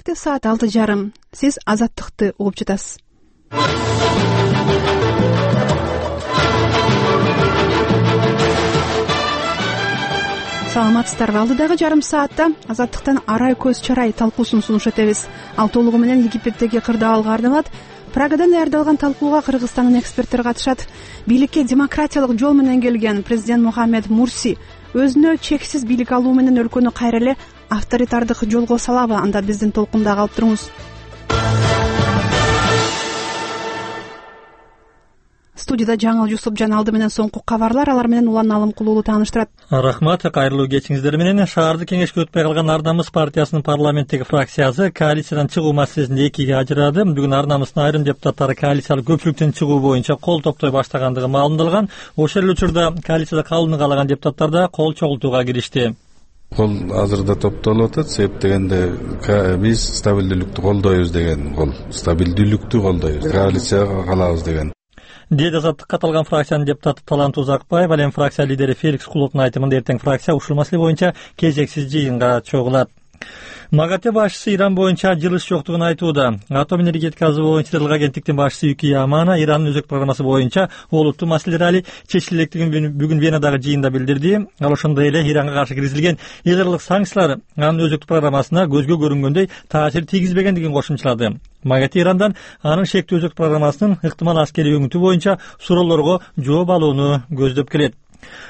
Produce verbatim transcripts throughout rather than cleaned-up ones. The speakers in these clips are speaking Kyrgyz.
эртең саат алты жарым. Сиз Азаттыкты угуп жатасыз. Саламатсыздарбы? Алдыдагы жарым саатта Азаттыктан арай көз чарай талкуусун сунуш этебиз. Ал толугу менен Египеттеги кырдаалга арналат. Прагадан даярдалган талкууга Кыргызстандын эксперттери катышат. Бийликке демократиялык жол менен келген президент Мухаммед Мурси өзүнө чексиз бийлик алуу менен өлкөнү кайра эле авторитардык жолго салабы? Анда биздин толкунда калып туруңуз. Студияда Жаңыл Жусупжан алды менен соңку кабарлар, алар менен Улан Алымкулуулу тааныштырат. Рахмат, кайрылуу кечиңиздер менен. Шаардык кеңешке өтпөй калган Ар намыс партиясынын парламенттеги фракциясы коалициядан чыгуу маселесинде экиге ажырады. Бүгүн Ар намыстын айрым депутаттары коалициялык көпчүлүктөн чыгуу боюнча кол топтой баштагандыгы маалымдалган. Ошол эле учурда коалицияда калууну каалаган депутаттар да кол чогултууга киришти. Кол азырда топтолуп атат. Себеп дегенде биз стабилдүүлүктү колдойбуз деген кол. Стабилдүүлүктү колдойбуз. Коалицияга калабыз деген. Деди Азаттыкка катылган фракциянын депутаты Талант Узакбаев, ал эми фракция лидери Феликс Куловдун айтымында эртең фракция ушул маселе боюнча кезексиз жыйынга чогулат. МАГАТЭ башчысы Иран боюнча жылыш жоктугун айтууда. Атом энергетикасы боюнча Тыгыл агенттиктин башчысы Юки Ямана Ирандын өзөк программасы боюнча олуттуу маселелер али чечиле электигин бүгүн Венадагы жыйында билдирди. Ал ошондой эле Иранга каршы киргизилген ыйгырылык санкциялар анын өзөктүк программасына көзгө көрүнгөндөй таасир тийгизбегендигин кошумчалады. МАГАТЭ Ирандан анын шектүү өзөк программасынын ыктымал аскерий өңүтү боюнча суроолорго жооп алууну көздөп келет.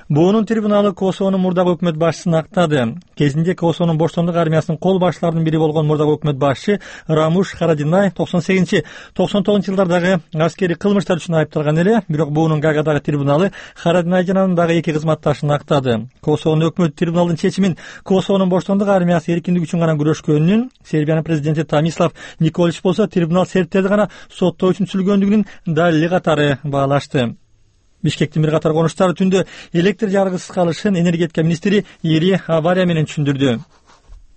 Буунун трибуналы Косовонун мурдагы өкмөт башчысын актады. Кезинде Косовонун боштондук армиясынын кол башчыларынын бири болгон мурдагы өкмөт башчы Рамуш Харадинай токсон сегизинчи токсон тогузунчу жылдардагы аскерий кылмыштар үчүн айыпталган эле, бирок буунун Гаагадагы трибуналы Харадинай жана дагы эки кызматташын актады. Косовонун өкмөт трибуналдын чечимин Косовонун боштондук армиясы эркиндик үчүн гана күрөшкөнүнүн, Сербиянын президенти Томислав Николич болсо трибунал сербтерди гана соттоо үчүн сүйлөгөндүгүнүн далили катары баалашты. Бишкектин бир катар конуштары түндө электр жарыгысыз калышын энергетика министри Ири авария менен түшүндүрдү.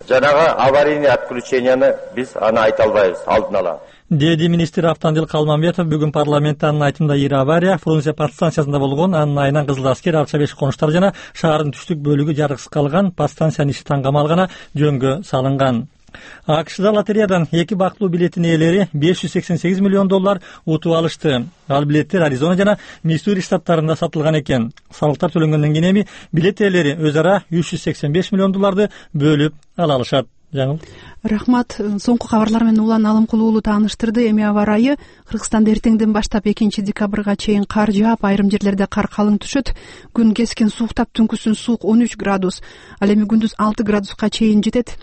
Жанагы аварийный отключенияны биз аны айта албайбыз, алдын ала. Деди министр Автандил Калмамбетов бүгүн парламентте анын айтымында Ири авария Фрунзе подстанциясында болгон, анын айынан Кызыл Аскер, Арча беш конуштар жана шаардын түштүк бөлүгү жарыксыз калган, подстанциянын иши таңгамал гана жөнгө салынган. АКШда лотереядан эки бактылуу билеттин ээлери беш жүз сексен сегиз миллион доллар утуп алышты. Ал билеттер Аризона жана Миссури штаттарында сатылган экен. Салыктар төлөнгөндөн кийин эми билет ээлери өз ара үч жүз сексен беш миллион долларды бөлүп ала алышат. Жаңыл. Рахмат. Соңку кабарлар менен Улан Алымкулуулу тааныштырды. Эми аба ырайы Кыргызстанда эртеңден баштап экинчи декабрга чейин кар жаап, айрым жерлерде кар калың түшөт. Күн кескен сууктап, түнкүсүн суук он үч градус, ал эми күндүз алты градуска чейин жетет.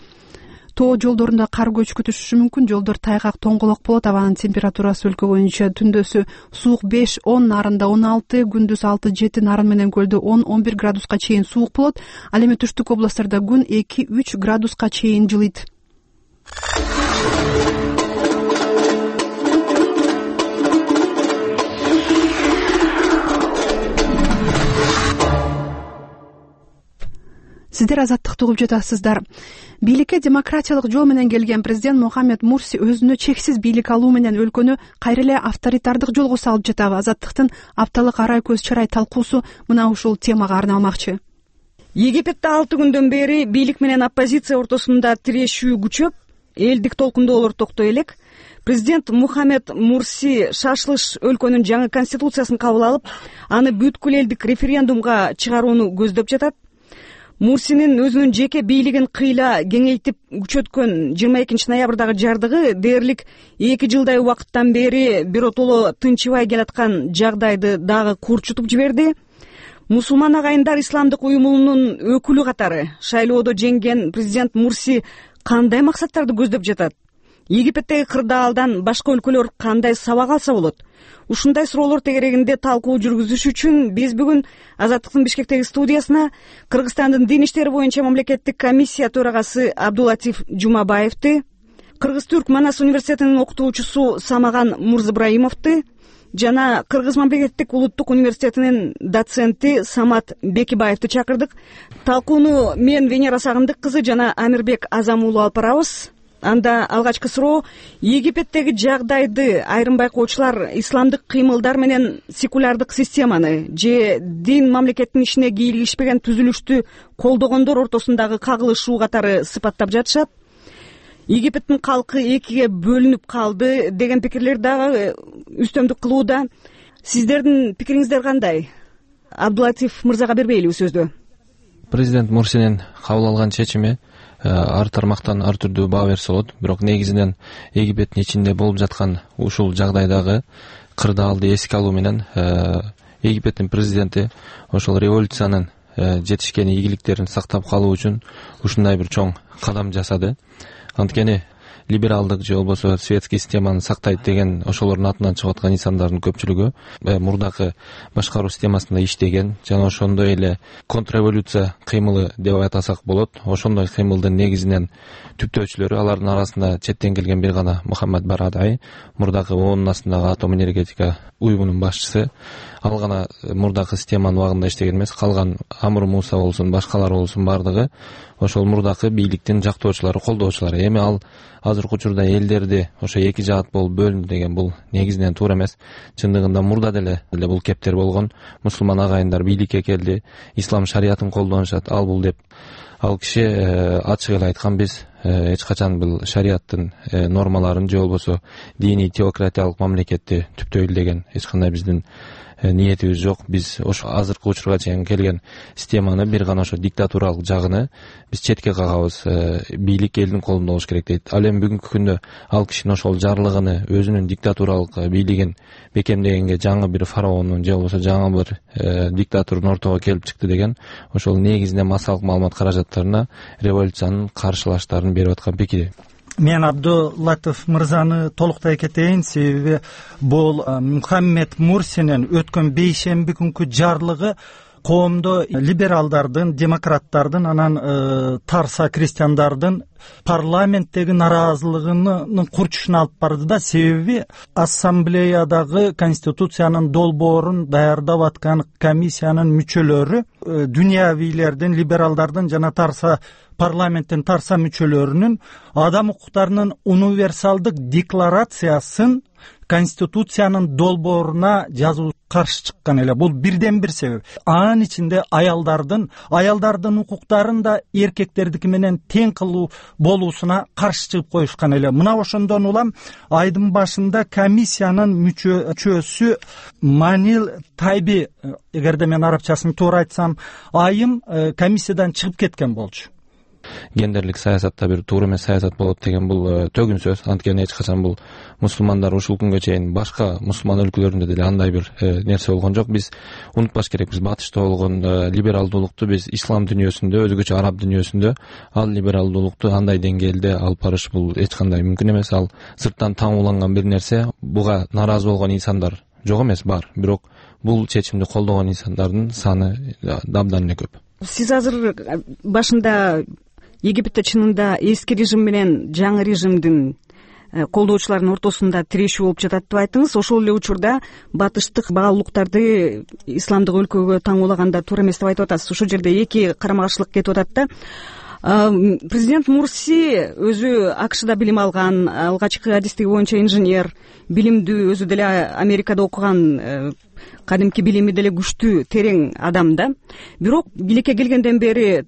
Тоо жолдорунда кар көчкү түшүшү мүмкүн. Жолдор тайгак, тоңголок болот. Абанын температурасы өлкө боюнча түндөсү суук беш он, нарында он алты, күндүз алты жети, нарын менен көлдө он он бир градуска чейин суук болот. Ал эми түштүк областтарда күн эки үч градуска чейин жылыйт. Сиздер Азаттыкты угуп жатасыздар. Бийликке демократиялык жол менен келген президент Мухаммед Мурси өзүнө чексиз бийлик алуу менен өлкөнү кайра эле авторитардык жолго салып жатабы? Азаттыктын апталык арай көз чарай талкуусу мына ушул темага арналмакчы. Египетте алты күндөн бери бийлик менен оппозиция ортосунда тирешүү күчөп, элдик толкундоолор токтой элек. Президент Мухаммед Мурси шашылыш өлкөнүн жаңы конституциясын кабыл алып, аны бүткүл элдик референдумга чыгарууну көздөп жатат. Мурсинин өзүнүн жеке бийлигин кыйла кеңейтип күчөткөн жыйырма экинчи ноябрдагы жардыгы дээрлик эки жылдай убакыттан бери биротоло тынчыбай келаткан жагдайды дагы курчутуп жиберди. Мусулман агайындар исламдык уюмунун өкүлү катары шайлоодо жеңген президент Мурси кандай максаттарды көздөп жатат? Египеттеги кырдаалдан башка өлкөлөр кандай сабак алса болот? Ушундай суроолор тегерегинде талкуу жүргүзүш үчүн биз бүгүн Азаттыктын Бишкектеги студиясына Кыргызстандын дин иштери боюнча мамлекеттик комиссия төрагасы Абдулатиф Жумабаевди, Кыргыз-Түрк Манас университетинин окутуучусу Самаган Мурзыбраимовду жана Кыргыз мамлекеттик улуттук университетинин доценти Самат Бекибаевди чакырдык. Талкууну мен Венера Сагындык кызы жана Амирбек Азамуулу алып барабыз. Анда алгачкы суроо: Египеттеги жагдайды айрым байкоочулар исламдык кыймылдар менен секулярдык системаны же дин мамлекеттин ишине кийлигишпеген түзүлүштү колдогондор ортосундагы кагылышуу катары сыпаттап жатышат. Египеттин калкы экиге бөлүнүп калды деген пикирлер дагы үстөмдүк кылууда. Сиздердин пикириңиздер кандай? Абдулатиф мырзага бербейлиби сөздү? Президент Мурсинин кабыл алган чечими ар тармактан ар түрдүү баа берсе болот, бирок негизинен Египеттин ичинде болуп жаткан ушул жагдайдагы кырдаалды эске алуу менен Египеттин президенти ошол революциянын жетишкен ийгиликтерин сактап калуу үчүн ушундай бир чоң кадам жасады. Анткени либералдык же болбосо светский системаны сактайт деген ошолордун атынан чыгып аткан инсандардын көпчүлүгү мурдакы башкаруу системасында иштеген жана ошондой эле контрреволюция кыймылы деп атасак болот. Ошондой кыймылдын негизинен түптөөчүлөрү, алардын арасында четтен келген бир гана Мухаммад Барадай, мурдакы оонун астындагы атом энергетика уюмунун башчысы. Ал гана мурдакы системанын убагында иштеген эмес, калган Амур Муса болсун, башкалары болсун бардыгы ошол мурдакы бийликтин жактоочулары, колдоочулары. Эми ал азыркы учурда элдерди ошо эки жаат болуп бөлүндү деген бул негизинен туура эмес. Чындыгында мурда деле бул кептер болгон. Мусулман агайындар бийликке келди, ислам шариятын колдонушат, ал бул деп. Ал киши ачык эле айткан, биз эч качан бул шариаттын нормаларын же болбосо диний теократиялык мамлекетти түптөйлү деген эч кандай биздин ниетибиз жок. Биз ошо азыркы учурга чейин келген системаны, бир гана ошо диктатуралык жагыны биз четке кагабыз. Бийлик элдин колунда болуш керек дейт. Ал эми бүгүнкү күндө ал кишинин ошол жарлыгыны, өзүнүн диктатуралык бийлигин бекемдегенге жаңы бир фараондун же болбосо жаңы бир диктатурдун ортого келип чыкты деген ошол негизинен массалык маалымат каражаттарына революциянын каршылаштарын берип аткан пикири. Мен Абдулатиф мырзаны толуктай кетейин, себеби бул Мухаммед Мурсинин өткөн бейшемби күнкү жарлыгы коомдо либералдардын, демократтардын, анан тарса крестьяндардын парламенттеги нараазылыгынын курчушуна алып барды да. Себеби ассамблеядагы конституциянын долбоорун даярдап аткан комиссиянын мүчөлөрү дүйнөвийлердин, либералдардын жана тарса парламенттин тарса мүчөлөрүнүн адам укуктарынын универсалдык декларациясын конституциянын долбооруна жазуу каршы чыккан эле. Бул бирден бир себеп. Анын ичинде аялдардын аялдардын укуктарын да эркектердики менен тең кылуу болуусуна каршы чыгып коюшкан эле. Мына ошондон улам айдын башында комиссиянын мүчөсү Манил Тайби, эгерде мен арабчасын туура айтсам, айым комиссиядан чыгып кеткен болчу. Гендерлик саясатта бир туура эмес саясат болот деген бул төгүн сөз. Анткени эч качан бул мусулмандар ушул күнгө чейин башка мусулман өлкөлөрүндө деле андай бир нерсе болгон жок. Биз унутпаш керек, биз батышта болгон либералдуулукту биз ислам дүйнөсүндө, өзгөчө араб дүйнөсүндө ал либералдуулукту андай деңгээлде алып барыш бул эч кандай мүмкүн эмес. Ал сырттан таңууланган бир нерсе. Буга нааразы болгон инсандар жок эмес, бар. Бирок бул чечимди колдогон инсандардын саны абдан эле көп. Сиз азыр башында Египетте чынында эски режим менен жаңы режимдин колдоочуларынын ортосунда тирешүү болуп жатат деп айттыңыз. Ошол эле учурда батыштык баалуулуктарды исламдык өлкөгө таңуулаганда туура эмес деп айтып атасыз. Ошол жерде эки карама каршылык кетип атат да. Президент Мурси өзү АКШда билим алган, алгачкы адистиги боюнча инженер, билимдүү, өзү деле Америкада окуган, кадимки билими деле күчтүү, терең адам да. Бирок бийликке келгенден бери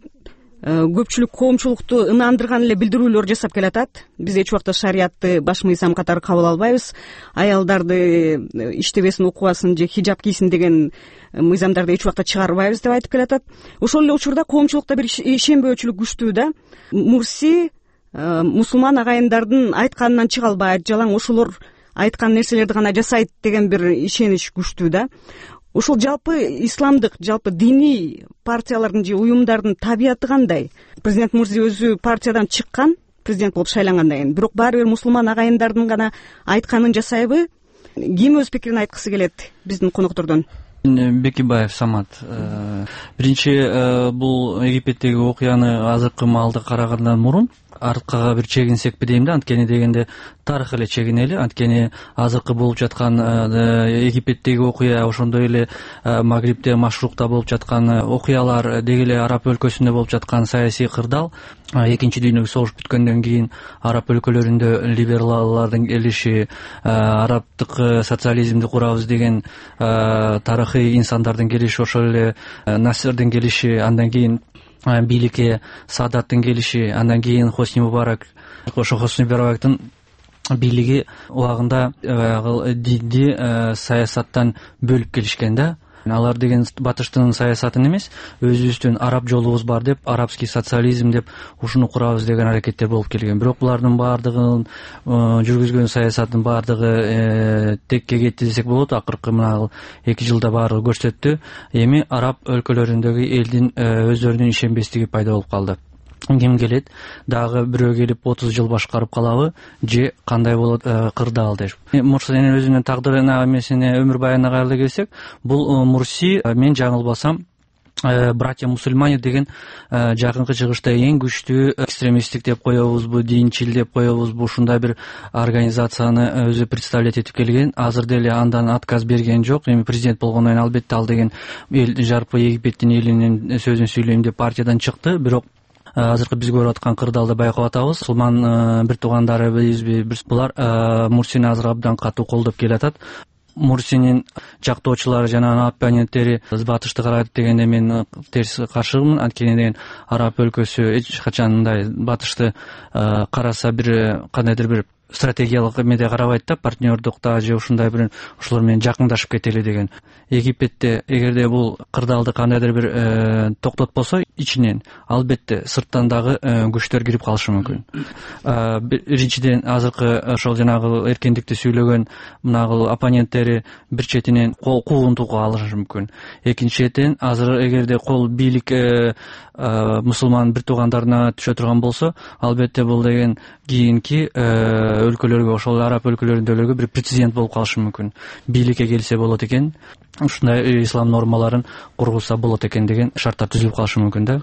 көпчүлүк коомчулукту ынандырган эле билдирүүлөр жасап келатат. Биз эч убакта шариятты баш мыйзам катары кабыл албайбыз, аялдарды иштебесин, окубасын же хиджаб кийсин деген мыйзамдарды эч убакта чыгарбайбыз деп айтып келатат. Ошол эле учурда коомчулукта бир ишенбөөчүлүк күчтүү да. Мурси мусулман агайындардын айтканынан чыга албайт, жалаң ошолор айткан нерселерди гана жасайт деген бир ишенич күчтүү да. Ошол жалпы исламдык, жалпы диний партиялардын же уюмдардын табияты кандай? Президент Мурси өзү партиядан чыккан, президент болуп шайлангандан кийин, бирок баары бир мусулман агайындардын гана айтканын жасайбы? Ким өз пикирин айткысы келет биздин коноктордон? Бекибаев Самат. Биринчи, бул Египеттеги окуяны азыркы маалда карагандан мурун арткага бир чегинсекпи дейм да. Анткени дегенде тарых эле чегинели. Анткени азыркы болуп жаткан Египеттеги окуя, ошондой эле Магрибте, Машрукта болуп жаткан окуялар, деги эле араб өлкөсүндө болуп жаткан саясий кырдаал, экинчи дүйнөлүк согуш бүткөндөн кийин араб өлкөлөрүндө либераллардын келиши, арабтык социализмди курабыз деген тарыхый инсандардын келиши, ошол эле Насырдын келиши, андан кийин бийликке Саадаттын келиши, андан кийин Хосни Мубарак ошо Хосни Мубарактын бийлиги убагында баягы динди саясаттан бөлүп келишкен да. Алар деген батыштын саясатын эмес, өзүбүздүн араб жолубуз бар деп, арабский социализм деп ушуну курабыз деген аракеттер болуп келген. Бирок булардын баардыгын жүргүзгөн саясаттын баардыгы текке кетти десек болот. Акыркы мына эки жылда баардыгы көрсөттү. Эми араб өлкөлөрүндөгү элдин өздөрүнүн ишенбестиги пайда болуп калды. Ким келет, дагы бирөө келип отуз жыл башкарып калабы же кандай болот кырдаал деп. Мурсинин өзүнүн тагдырына эмесине өмүр баянына кайрыла келсек, бул Мурси, мен жаңылбасам, братья мусульмане деген жакынкы чыгышта эң күчтүү экстремисттик деп коебузбу, динчил деп коебузбу, ушундай бир организацияны өзү представлять этип келген. Азыр деле андан отказ берген жок. Эми президент болгондон кийин албетте ал деген эл жарпы Египеттин элинин сөзүн сүйлөйм деп партиядан чыкты. Бирок азыркы биз көрүп аткан кырдаалды байкап атабыз. Мусулман бир туугандарыбызбы, булар Мурсини азыр абдан катуу колдоп келатат. Мурсинин жактоочулары жана оппоненттери батышты карайт дегенде мен терс каршымын. Анткени деген араб өлкөсү эч качан мындай батышты караса бир кандайдыр бир стратегиялык эмеде карабайт да, партнердукта же ушундай бир ошолор менен жакындашып кетели деген. Египетте эгерде бул кырдаалды кандайдыр бир токтотпосо ичинен, албетте сырттан дагы күчтөр кирип калышы мүмкүн. Биринчиден азыркы ошол жанагы эркиндикти сүйлөгөн мынагы оппоненттери бир четинен куугунтууга алышы мүмкүн. Экинчи четинен азыр эгерде кол бийлик мусулман бир туугандарына түшө турган болсо, албетте бул деген кийинки өлкөлөргө, ошол араб өлкөлөрүндөгү бир прецедент болуп калышы мүмкүн. Бийликке келсе болот экен, ушундай ислам нормаларын кургузса болот экен деген шарттар түзүлүп калышы мүмкүн да.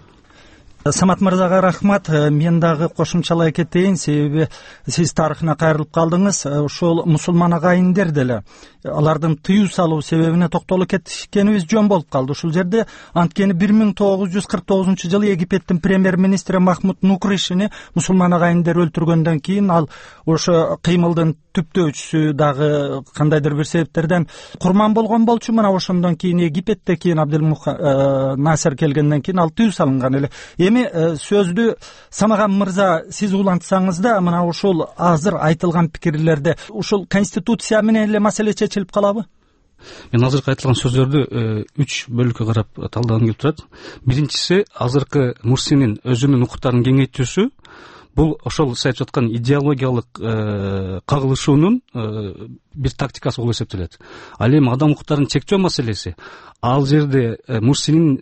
Самат мырзага рахмат. Мен дагы кошумчалай кетейин, себеби сиз тарыхына кайрылып калдыңыз. Ошол мусулман агайындер деле алардын тыюу салуу себебине токтолуп кетишкенибиз жөн болуп калды ушул жерде. Анткени бир миң тогуз жүз кырк тогузунчу жылы Египеттин премьер-министри Махмуд Нукришини мусулман агайындер өлтүргөндөн кийин ал ошо кыймылдын түптөөчүсү дагы кандайдыр бир себептерден курман болгон болчу. Мына ошондон кийин Египетте кийин Абделмух Насер келгенден кийин ал тыюу салынган эле. Эми сөздү Самаган мырза сиз улантсаңыз да, мына ушул азыр айтылган пикирлерде ушул конституция менен эле маселе чечилип калабы? Мен азыркы айтылган сөздөрдү үч бөлүккө карап талдагым келип турат. Биринчиси, азыркы Мурсинин өзүнүн укуктарын кеңейтүүсү. Бул ошол сиз айтып жаткан идеологиялык кагылышуунун бир тактикасы болуп эсептелет. Ал эми адам укуктарын чектөө маселеси, ал жерде Мурсинин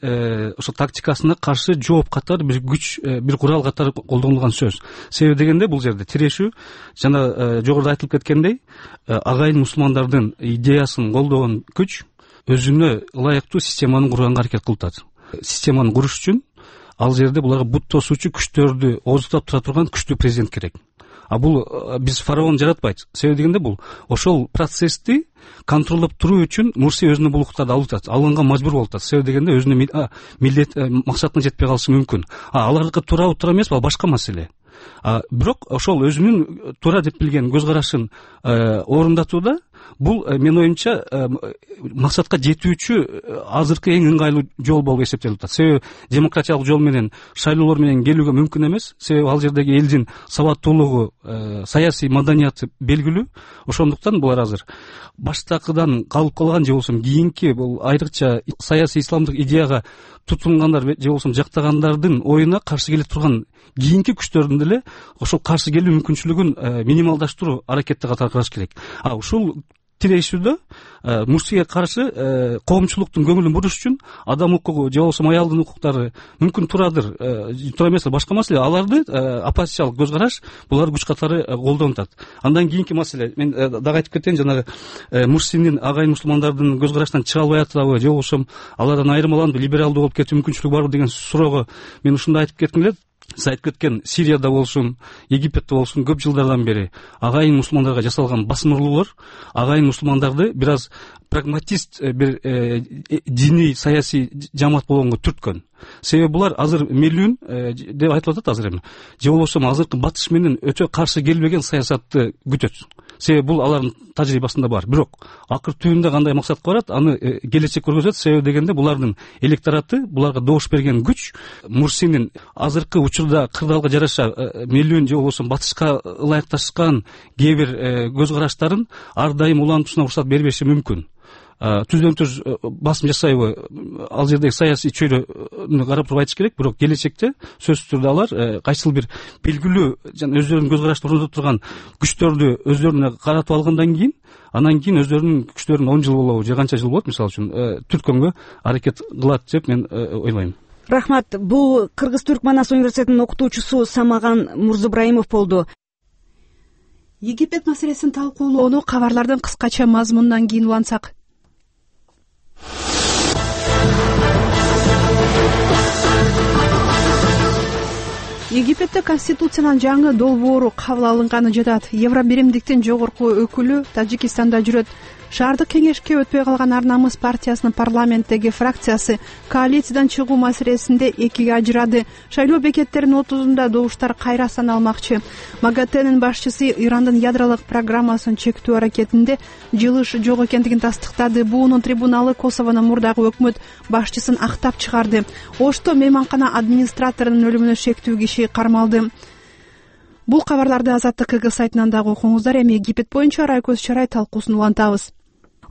ошо тактикасына каршы жооп катары бир күч, бир курал катары колдонулган сөз. Себеби дегенде бул жерде тирешүү, жана жогоруда айтылып кеткендей, агайын мусулмандардын идеясын колдогон күч өзүнө ылайыктуу системаны курганга аракет кылып атат. Системаны куруш үчүн ал жерде буларга бут тосуучу күчтөрдү ооздуктап тура турган күчтүү президент керек. А бул биз фараон жаратпайт. Себеби дегенде бул ошол процессти контролдоп туруу үчүн Мурси өзүнө бул укуктарды алып атат, алганга мажбур болуп атат. Себеби дегенде өзүнүн милдет максатына жетпей калышы мүмкүн. А алардыкы туурабы туура эмеспи, ал башка маселе. А бирок ошол өзүнүн туура деп билген көз карашын орундатууда бул менин оюмча максатка жетүүчү азыркы эң ыңгайлуу жол болуп эсептелип атат. Себеби демократиялык жол менен, шайлоолор менен келүүгө мүмкүн эмес. Себеби ал жердеги элдин сабаттуулугу, саясий маданияты белгилүү. Ошондуктан булар азыр баштакыдан калып калган же болбосо кийинки бул айрыкча саясий исламдык идеяга тутунгандар же болбосо жактагандардын оюна каршы келе турган кийинки күчтөрдүн деле ошол каршы келүү мүмкүнчүлүгүн минималдаштыруу аракетти катары караш керек. А ушул тирешүүдө Мурсиге каршы коомчулуктун көңүлүн буруш үчүн адам укугу же болбосо аялдын укуктары мүмкүн турадыр, туура эмес, башка маселе. Аларды оппозициялык көз караш булар күч катары колдонуп атат. Андан кийинки маселе, мен дагы айтып кетейин, жанагы Мурсинин агайын мусулмандардын көз карашынан чыга албай атабы же болбосо алардан айырмаланып либералдуу болуп кетүү мүмкүнчүлүгү барбы деген суроого мен ушундай айтып кетким келет. Сиз айтып кеткен Сирияда болсун, Египетте болсун көп жылдардан бери агайын мусулмандарга жасалган басым агайын мусулмандарды бир аз прагматист бир диний саясий жамаат болгонго түрткөн. Себеби булар азыр мелүүн деп айтылып атат азыр эми. Же болбосо азыркы батыш менен өтө каршы келбеген саясатты күтөт. себеби бул алардын тажрыйбасында бар. Бирок акыр түбүндө кандай максатка барат, аны келечек көргөзөт. Себеби дегенде булардын электораты, буларга добуш берген күч Мурсинин азыркы учурда кырдаалга жараша миллион же болбосо батышка ылайыкташкан кээ бир көз караштарын ар дайым улантуусуна уруксат бербеши мүмкүн. Түздөн түз басым жасайбы ал жердеги саясий чөйрөнү карап туруп айтыш керек, бирок келечекте сөзсүз түрдө алар кайсыл бир белгилүү жана өздөрүнүн көз карашты орнотуп турган күчтөрдү өздөрүнө каратып алгандан кийин, анан кийин өздөрүнүн күчтөрүн он жыл болобу же канча жыл болот мисалы үчүн түрткөнгө аракет кылат деп мен ойлойм. Рахмат. Бул Кыргыз-Түрк Манас университетинин окутуучусу Самаган Мурзабраимов болду. Египет маселесин талкуулоону кабарлардын кыскача мазмунунан кийин улантсак. Египетте конституциянын жаңы долбоору кабыл алынганы жатат. Евробиримдиктин жогорку өкүлү Тажикистанда жүрөт. Шаардык кеңешке өтпөй калган Ар намыс партиясынын парламенттеги фракциясы коалициядан чыгуу маселесинде экиге ажырады. Шайлоо бекеттеринин отузунда добуштар кайра саналмакчы. МАГАТЭнин башчысы Ирандын ядролук программасын чектөө аракетинде жылыш жок экендигин тастыктады. Буунун трибуналы Косовонун мурдагы өкмөт башчысын актап чыгарды. Ошто мейманкана администраторунун өлүмүнө шектүү киши кармалды. Бул кабарларды Азаттык КГ сайтынан дагы окуңуздар. Эми Египет боюнча Райкөз Чарай талкуусун улантабыз.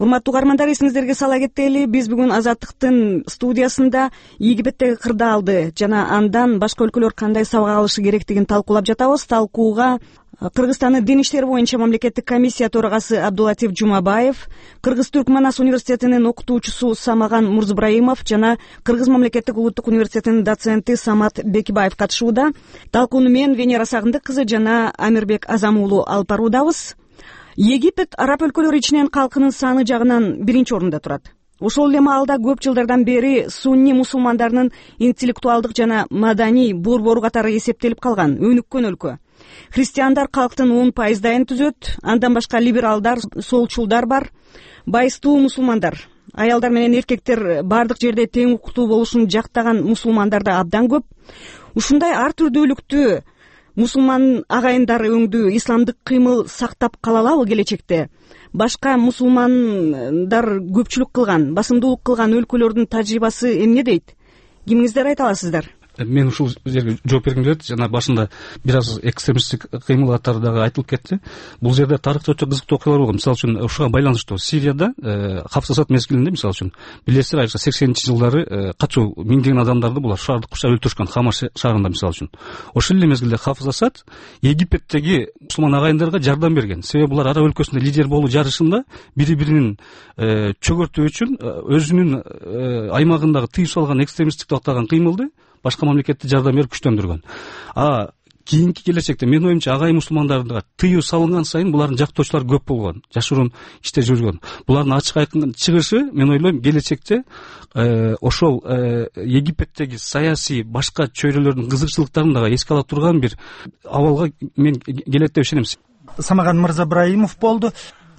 Урматтуу угармандар, эсиңиздерге сала кетели, биз бүгүн Азаттыктын студиясында Египеттеги кырдаалды жана андан башка өлкөлөр кандай сабак алышы керектигин талкуулап жатабыз. Талкууга Кыргызстандын дин иштери боюнча мамлекеттик комиссия төрагасы Абдулатиф Жумабаев, Кыргыз-Түрк Манас университетинин окутуучусу Самаган Мурзабраимов жана Кыргыз мамлекеттик улуттук университетинин доценти Самат Бекибаев катышууда. Талкууну мен Венера Сагындык кызы жана Амирбек Азам уулу алып баруудабыз. Египет араб өлкөлөрү ичинен калкынын саны жагынан биринчи орунда турат. Ошол эле маалда көп жылдардан бери сунни мусулмандарынын интеллектуалдык жана маданий борбору катары эсептелип калган өнүккөн өлкө. Христиандар калктын он пайыздайын түзөт, андан башка либералдар, солчулдар бар, байыстуу мусулмандар. Аялдар менен эркектер бардык жерде тең укуктуу болушун жактаган мусулмандар да абдан көп. Ушундай ар түрдүүлүктү мусулман агайындары өңдүү исламдык кыймыл сактап кала алабы келечекте? Башка мусулмандар көпчүлүк кылган, басымдуулук кылган өлкөлөрдүн тажрыйбасы эмне дейт? Кимиңиздер айта аласыздар? Мен ушул жерге жооп бергим келет. Жана башында бир аз экстремисттик кыймыл катары дагы айтылып кетти. Бул жерде тарыхча өтө кызыктуу окуялар болгон. Мисалы үчүн ушуга байланыштуу Сирияда Хафыз Асад мезгилинде, мисалы үчүн билесиздер, айрыкча сексенинчи жылдары качуу миңдеген адамдарды булар шаарды курчап өлтүрүшкөн, Хама шаарында мисалы үчүн. Ошол эле мезгилде Хафыз Асад Египеттеги мусулман агайындарга жардам берген. Себеби булар араб өлкөсүндө лидер болуу жарышында бири-биринин чөгөртүү үчүн өзүнүн аймагындагы тыюу салган экстремисттик деп аталган кыймылды башка мамлекетти жардам берип күчтөндүргөн. А кийинки келечекте мен оюмча агай мусулмандарга тыюу салынган сайын булардын жактоочулары көп болгон, жашыруун иште жүргөн. Булардын ачык айкын чыгышы, мен ойлойм, келечекте ошол Египеттеги саясий башка чөйрөлөрдүн кызыкчылыктарын дагы эске ала турган бир абалга мен келет деп ишенем. Самаган Мырзабраимов болду.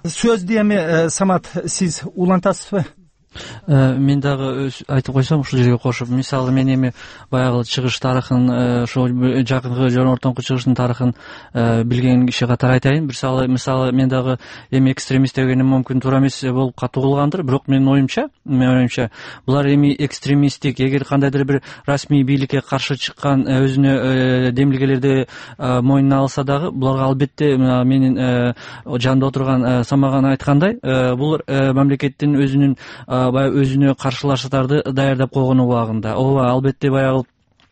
Сөздү эми Самат, сиз улантасызбы? Мен дагы айтып койсом ушул жерге кошуп, мисалы мен эми баягы чыгыш тарыхын, ошол жакынкы жана ортоңку чыгыштын тарыхын билген киши катары айтайын. Мисалы мисалы мен дагы эми экстремист дегеним мүмкүн туура эмес болуп катуулгандыр, бирок менин оюмча, менин оюмча булар эми экстремисттик, эгер кандайдыр бир расмий бийликке каршы чыккан өзүнө демилгелерди мойнуна алса дагы, буларга албетте менин жанымда отурган Самаган айткандай, бул мамлекеттин өзүнүн баягы өзүнө каршылаштарды даярдап койгон убагында, ооба, албетте баягы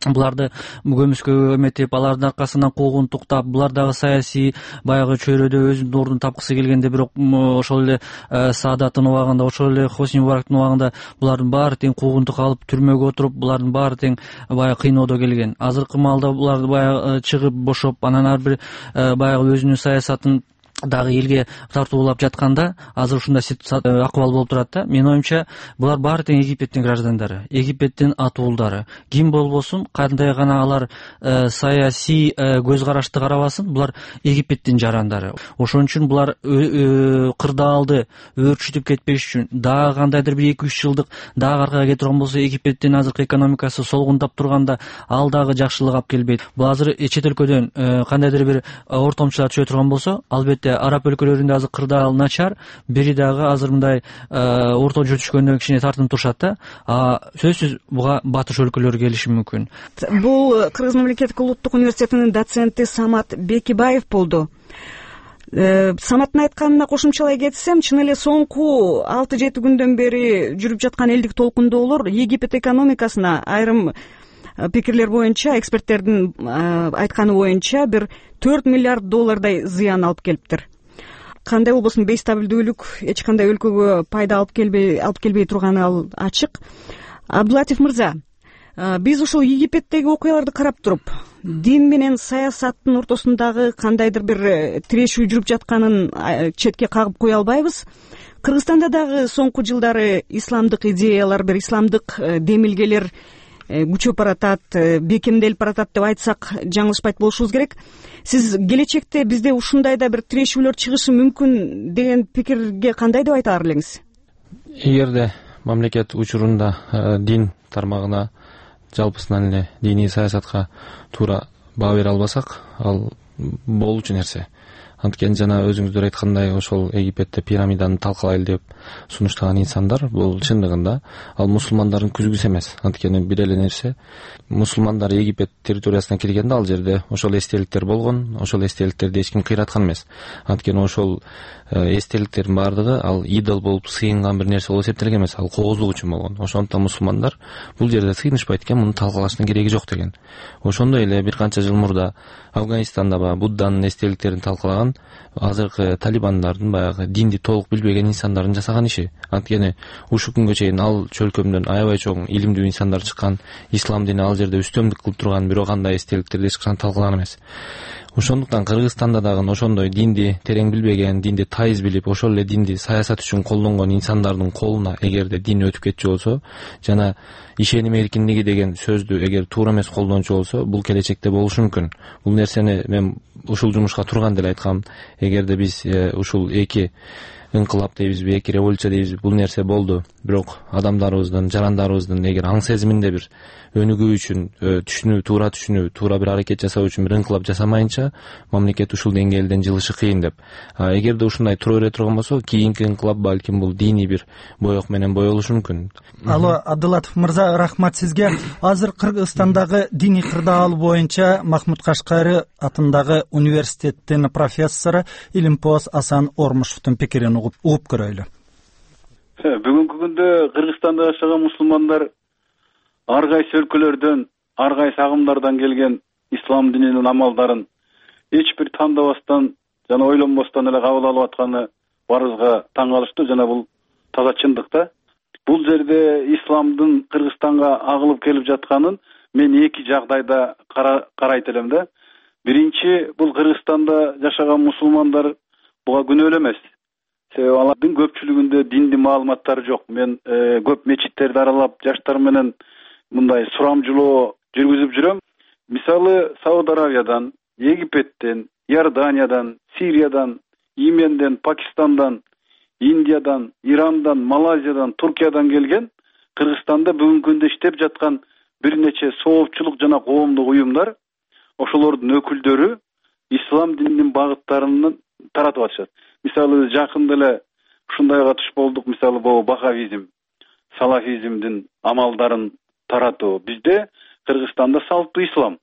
буларды көмүскө эметип, алардын аркасынан куугунтуктап, булар дагы саясий баягы чөйрөдө өзүнүн ордун тапкысы келгенде, бирок ошол эле Саадаттын убагында, ошол эле Хосни Мубарактын убагында булардын баары тең куугунтук алып, түрмөгө отуруп, булардын баары тең баягы кыйноодо келген. Азыркы маалда булар баягы чыгып бошоп, анан ар бир баягы өзүнүн саясатын дагы элге тартуулап жатканда азыр ушундай акыбал болуп турат да. Менин оюмча булар баары тең Египеттин граждандары, Египеттин атуулдары. Ким болбосун, кандай гана алар саясий көз карашты карабасын, булар Египеттин жарандары. Ошон үчүн булар кырдаалды өөрчүтүп кетпеш үчүн дагы кандайдыр бир эки үч жылдык дагы аркага кетип турган болсо, Египеттин азыркы экономикасы солгундап турганда ал дагы жакшылык алып келбейт. Бул азыр чет өлкөдөн кандайдыр бир ортомчулар түшө турган болсо, албетте албетте араб өлкөлөрүндө азыр кырдаал начар, бири дагы азыр мындай орто жол түшкөндө кичине тартынып турушат да. А сөзсүз буга батыш өлкөлөрү келиши мүмкүн. Бул Кыргыз мамлекеттик улуттук университетинин доценти Самат Бекибаев болду. Саматтын айтканына кошумчалай кетсем, чын эле соңку алты жети күндөн бери жүрүп жаткан элдик толкундоолор Египет экономикасына айрым пикирлер боюнча, эксперттердин айтканы боюнча бир төрт миллиард доллардай зыян алып келиптир. Кандай болбосун бейстабилдүүлүк эч кандай өлкөгө пайда алып келбей алып келбей турганы ал ачык. Абдулатиф мырза, биз ушул Египеттеги окуяларды карап туруп, дин менен саясаттын ортосундагы кандайдыр бир тирешүү жүрүп жатканын четке кагып кое албайбыз. Кыргызстанда дагы соңку жылдары исламдык идеялар, бир исламдык демилгелер күчөп баратат, бекемделип баратат деп айтсак жаңылышпайт болушубуз керек. Сиз келечекте бизде ушундай да бир тирешүүлөр чыгышы мүмкүн деген пикирге кандай деп айта алар элеңиз? Эгерде мамлекет учурунда дин тармагына, жалпысынан эле диний саясатка туура баа бере албасак, ал болчу нерсе. Анткени жана өзүңүздөр айткандай, ошол Египетте пирамиданы талкалайлы деп сунуштаган инсандар бул чындыгында ал мусулмандардын күзгүсү эмес. Анткени бир эле нерсе, мусулмандар Египет территориясына киргенде ал жерде ошол эстеликтер болгон, ошол эстеликтерди эч ким кыйраткан эмес. Анткени ошол эстеликтердин баардыгы ал идол болуп сыйынган бир нерсе болуп эсептелген эмес, ал коозлук үчүн болгон. Ошондуктан мусулмандар бул жерде сыйынышпайт экен, муну талкалаштын кереги жок деген. Ошондой эле бир канча жыл мурда Афганистанда баягы Будданын эстеликтерин талкалаган азыркы талибандардын баягы динди толук билбеген инсандардын жасаган иши. Анткени ушул күнгө чейин ал чөлкөмдөн аябай чоң илимдүү инсандар чыккан, ислам дини ал жерде үстөмдүк кылып турган, бирок андай эстеликтерди эч качан талкалаган эмес. Ошондуктан Кыргызстанда дагы ошондой динди терең билбеген, динди тайыз билип, ошол эле динди саясат үчүн колдонгон инсандардын колуна эгерде дин өтүп кетчү болсо, жана ишеним эркиндиги деген сөздү эгер туура эмес колдончу болсо, бул келечекте болушу мүмкүн. Бул нерсени мен ушул жумушка турганда эле айткам. Эгерде биз ушул эки ыңкылап дейбизби, эки революция дейбизби, бул нерсе болду. Бирок адамдарыбыздын, жарандарыбыздын эгер аң сезиминде бир өнүгүү үчүн, түшүнүү, туура түшүнүү, туура бир аракет жасоо үчүн бир ыңкылап жасамайынча, мамлекет ушул деңгээлден жылышы кыйын деп. Эгерде ушундай тура бере турган болсо, кийинки ыңкылап балким бул диний бир боек менен боелушу мүмкүн. Алло, Абдулатиф мырза, рахмат сизге. Азыр Кыргызстандагы диний кырдаал боюнча Махмуд Кашкари атындагы университеттин профессору Илимпоз Асан Ормушевдун пикирин угуп көрөйлү. Бүгүнкү күндө Кыргызстанда жашаган мусулмандар ар кайсы өлкөлөрдөн, ар кайсы агымдардан келген ислам дининин амалдарын эч бир тандабастан жана ойлонбостон эле кабыл алып атканы баарыбызга таң калыштуу, жана бул таза чындык да. Бул жерде исламдын Кыргызстанга агылып келип жатканын мен эки жагдайда карайт элем да. Биринчи, бул Кыргызстанда жашаган мусулмандар буга күнөөлүү эмес. Себеби алардын көпчүлүгүндө динди маалыматтары жок. Мен көп мечиттерди аралап, жаштар менен мындай сурамжылоо жүргүзүп жүрөм. Мисалы, Сауд Аравиядан, Египеттен, Иорданиядан, Сириядан, Йеменден, Пакистандан, Индиядан, Ирандан, Малайзиядан, Туркиядан келген Кыргызстанда бүгүнкү күндө иштеп жаткан бир нече соопчулук жана коомдук уюмдар, ошолордун өкүлдөрү ислам дининин багыттарын таратып атышат. Мисалы, жакында эле ушундайга туш болдук. Мисалы, бул бахавизм, салафизмдин амалдарын таратуу. Бизде Кыргызстанда салттуу ислам.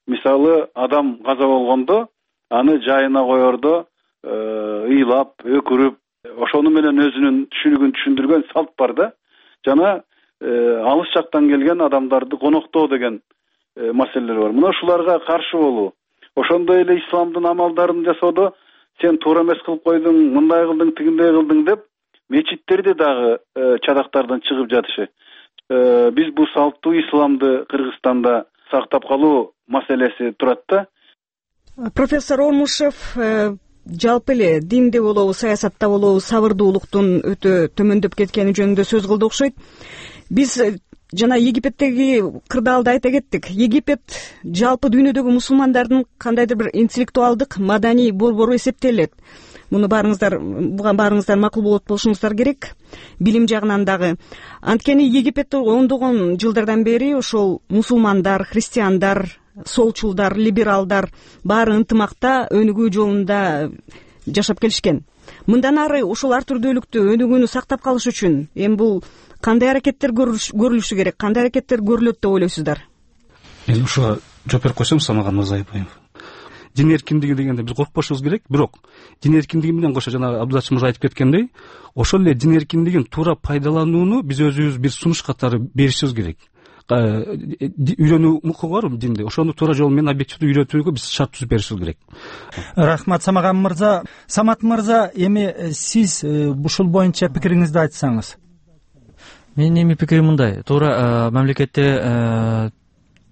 Мисалы, адам каза болгондо аны жайына коердо ыйлап, өкүрүп, ошону менен өзүнүн түшүнүгүн түшүндүргөн салт бар да. Жана алыс жактан келген адамдарды коноктоо деген маселелер бар. Мына ушуларга каршы болуу. Ошондой эле исламдын амалдарын жасоодо сен туура эмес кылып койдуң, мындай кылдың, тигиндей кылдың деп мечиттерде дагы чадактардан чыгып жатышы. Биз бул салттуу исламды Кыргызстанда сактап калуу маселеси турат да. Профессор Ормушев, жалпы эле динде болобу, саясатта болобу сабырдуулуктун өтө төмөндөп кеткени жөнүндө сөз кылды окшойт. Биз жана Египеттеги кырдаалды айта кеттик. Египет жалпы дүйнөдөгү мусулмандардын кандайдыр бир интеллектуалдык, маданий борбору эсептелет. Муну баарыңыздар, буга баарыңыздар макул болот болушуңуздар керек. Билим жагынан дагы. Анткени Египетте ондогон жылдардан бери ошол мусулмандар, христиандар, солчулдар, либералдар баары ынтымакта өнүгүү жолунда жашап келишкен. Мындан ары ушул ар түрдүүлүктү өнүгүүнү сактап калыш үчүн эми бул кандай аракеттер көрүлүшү керек, кандай аракеттер көрүлөт деп ойлойсуздар? Мен ушуга жооп берип койсом, Самаган мырза айбаев, дин эркиндиги дегенде биз коркпошубуз керек, бирок дин эркиндиги менен кошо жана Абдуллач мырза айтып кеткендей, ошол эле дин эркиндигин туура пайдаланууну биз өзүбүз бир сунуш катары беришибиз керек. Үйрөнүү укугу бар динде, ошону туура жол менен объективдүү үйрөтүүгө биз шарт түзүп беришибиз керек. Рахмат Самаган мырза. Самат мырза, эми сиз ушул боюнча пикириңизди айтсаңыз. Менин эми пикирим мындай: туура мамлекетте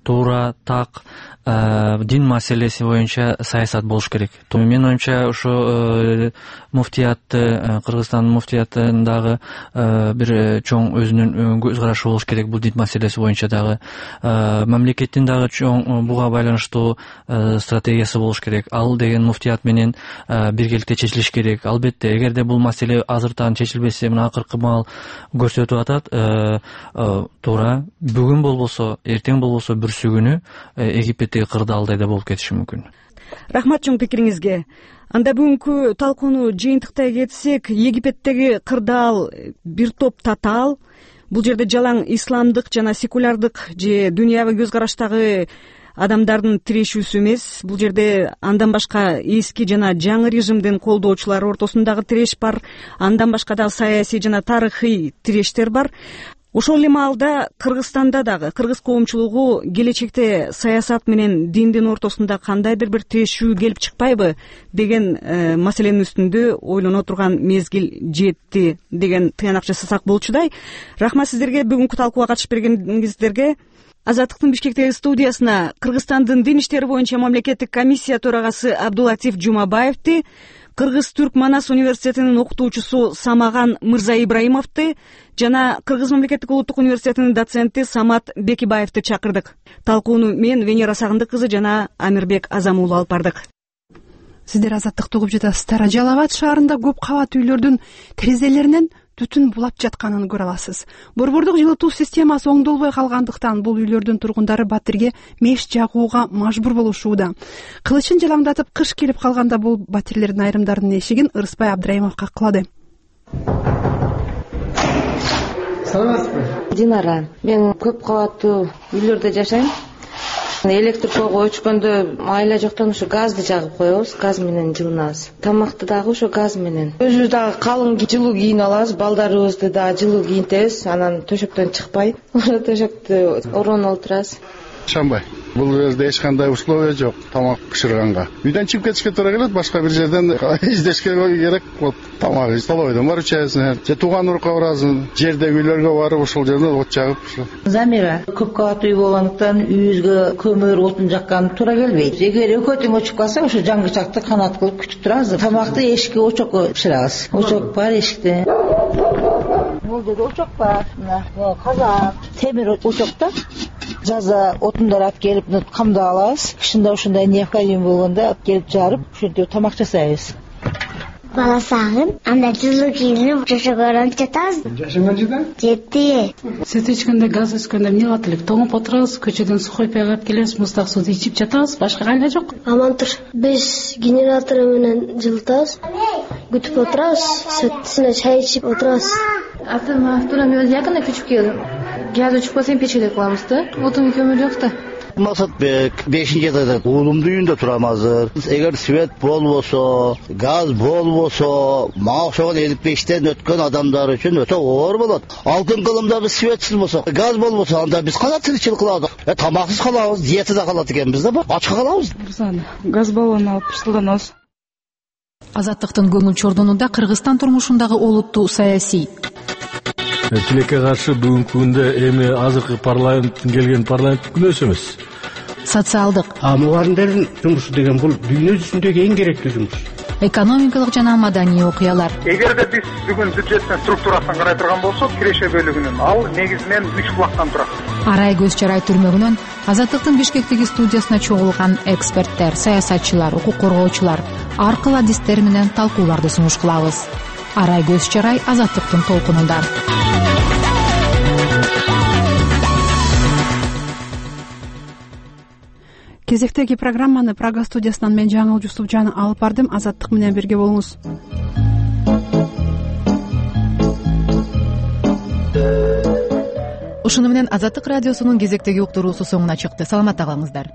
туура так дин маселеси боюнча саясат болуш керек. Менин оюмча ошо муфтиятты, Кыргызстандын муфтиятындагы бир чоң өзүнүн көз карашы болуш керек бул дин маселеси боюнча дагы. Мамлекеттин дагы чоң буга байланыштуу стратегиясы болуш керек. Ал деген муфтият менен биргеликте чечилиш керек. Албетте, эгерде бул маселе азыртан чечилбесе, мына акыркы маал көрсөтүп атат, туура бүгүн болбосо, эртең болбосо бүрсү күнү Египеттеги кырдаалдай да болуп кетиши мүмкүн. Рахмат чоң пикириңизге. Анда бүгүнкү талкууну жыйынтыктай кетсек, Египеттеги кырдаал бир топ татаал, бул жерде жалаң исламдык жана секулярдык же дүйнөбү көз караштагы адамдардын тирешүүсү эмес. Бул жерде андан башка эски жана жаңы режимдин колдоочулары ортосундагы тиреш бар, андан башка дагы саясий жана тарыхый тирештер бар. Ошол эле маалда Кыргызстанда дагы кыргыз коомчулугу келечекте саясат менен диндин ортосунда кандайдыр бир тирешүү келип чыкпайбы деген маселенин үстүндө ойлоно турган мезгил жетти деген тыянак жасасак болчудай. Рахмат сиздерге, бүгүнкү талкууга катышып бергениңиздерге. Азаттыктын Бишкектеги студиясына Кыргызстандын дин иштери боюнча мамлекеттик комиссия төрагасы Абдулатиф Жумабаевди, Кыргыз-Түрк Манас университетинин окутуучусу Самаган Мырза Ибраимовду жана Кыргыз мамлекеттик улуттук университетинин доценти Самат Бекибаевди чакырдык. Талкууну мен Венера Сагындык кызы жана Амирбек Азам уулу алып бардык. Сиздер Азаттыкты угуп жатасыздар. Жалал Абад шаарында көп кабат үйлөрдүн терезелеринен түтүн булап жатканын көрө аласыз. Борбордук жылытуу системасы оңдолбой калгандыктан бул үйлөрдүн тургундары батирге меш жагууга мажбур болушууда. Кылычын жалаңдатып кыш келип калганда бул батирлердин айрымдарынын эшигин Ырысбай Абдрайымов каклады. Саламатсызбы? Динара, мен көп кабаттуу үйлөрдө жашайм. Электр тогу өчкөндө айла жоктон ушу газды жагып коебуз, газ менен жылынабыз. Тамакты дагы ошо газ менен. Өзүбүз дагы калың жылуу кийинип алабыз, балдарыбызды дагы жылуу кийинтебиз, анан төшөктөн чыкпай, ошо төшөктү ороону олтурабыз. Шамбай, бул жерде эч кандай условия жок тамак бышырганга. Үйдөн чыгып кетишке туура келет, башка бир жерден издешке керек. Вот тамак столовойдон барып ичебиз, же тууган урукка барабыз, жердеги үйлөргө барып ошол жерден от жагып. Замира, көп кабаттуу үй болгондуктан үйүбүзгө көмөр, отун жаккан туура келбейт. Эгер экөө тең өчүп калса, ошо жаңгычакты канат кылып күтүп турабыз. Тамакты эшикке очокко бышырабыз. Очок бар эшикте. Бул жерде очок бар. Мына казак, темир очокто жаза отундар алып келип камдап алабыз. Кышында ушундай необходим болгондо алып келип жарып, ошентип тамак жасайбыз. Бала сагын, анда жылуу кийинип жашоодон жатабыз. Жашың канчада? Жетти. Сүт ичкенде, газ өскөндө эмне кылат элек? Тоңуп отурабыз, көчөдөн сухой пай алып келебиз, муздак сууну ичип жатабыз, башка кайла жок. Амантур, биз генератор менен жылытабыз. Күтүп отурабыз, сүтүнө чай ичип отурабыз. Автономия өз якында көчүп келдим. Газ өчүп калса печеде кылабыз да. Отун көмүр жок да. Максатбек бешинчи этажда уулумдун үйүндө турам азыр. Эгер свет болбосо, газ болбосо, мага окшогон элүү бештен өткөн адамдар үчүн өтө оор болот. Алтын кылымда биз светсиз болсо, газ болбосо, анда биз кандай тиричилик кылабыз? Э, тамаксыз калабыз, диетада калат экенбиз да, ачка калабыз. Газ баллон алып пышылданабыз. Азаттыктын көңүл чордонунда Кыргызстан турмушундагы олуттуу саясий тилекке каршы бүгүнкү күндө эми азыркы парламенттин келген парламенттик күнөөсү эмес. Социалдык. А мугалимдердин жумушу деген бул дүйнө жүзүндөгү эң керектүү жумуш. Экономикалык жана маданий окуялар. Эгерде биз бүгүн бюджеттин структурасын карай турган болсок, киреше бөлүгүнүн ал негизинен үч булактан турат. Арай көз чарай түрмөгүнөн Азаттыктын Бишкектеги студиясына чогулган эксперттер, саясатчылар, укук коргоочулар ар кыл адистер менен талкууларды сунуш кылабыз. Арай көз чарай Азаттыктын толкунунда. кезектеги программаны Прага студиясынан мен Жаңыл Жусупжан алып бардым. Азаттык менен бирге болуңуз. Ушуну менен Азаттык радиосунун кезектеги уктуруусу соңуна чыкты. Саламатта калыңыздар.